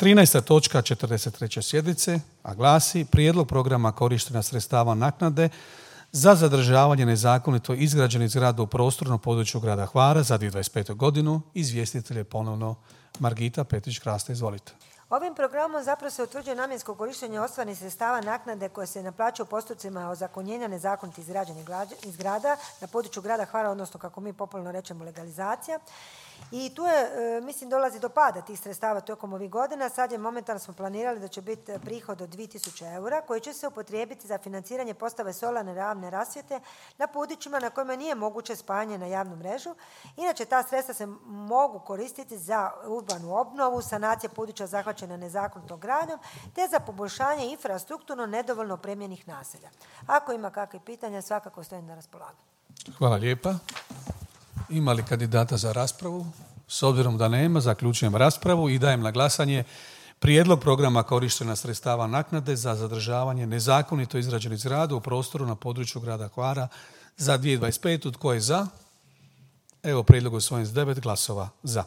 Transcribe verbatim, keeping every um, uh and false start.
trinaesta točka četrdeset treće sjednice, a glasi Prijedlog programa korištenja sredstava naknade za zadržavanje nezakonito izgrađenih zgrada u prostornom području grada Hvara za dvije tisuće dvadeset petu. godinu. Izvjestitelj je ponovno Margita Petrić-Krasta. Izvolite. Ovim programom zapravo se utvrđuje namjensko korištenje ostvarenih sredstava naknade koje se naplaćuju u postupcima ozakonjenja nezakonito izgrađenih zgrada na području grada Hvara, odnosno kako mi popularno rečemo legalizacija. I tu je, mislim, dolazi do pada tih sredstava tokom ovih godina. Sad je momentalno smo planirali da će biti prihod od dvije tisuće eura koji će se upotrijebiti za financiranje postave solarne javne rasvjete na područjima na kojima nije moguće spajanje na javnu mrežu. Inače, ta sredstva se mogu koristiti za urbanu obnovu, sanacije područja zahvaćena nezakonitom gradnjom, te za poboljšanje infrastrukturno nedovoljno opremljenih naselja. Ako ima kakve pitanja, svakako stojim na raspolaganju. Hvala lijepa. Ima li kandidata za raspravu? S obzirom da nema, zaključujem raspravu i dajem na glasanje Prijedlog programa korištenja sredstava naknade za zadržavanje nezakonito izgrađenih zgrada u prostoru na području grada Hvara za dvije tisuće dvadeset petu. Tko je za? Evo, prijedlog usvojen s devet glasova za.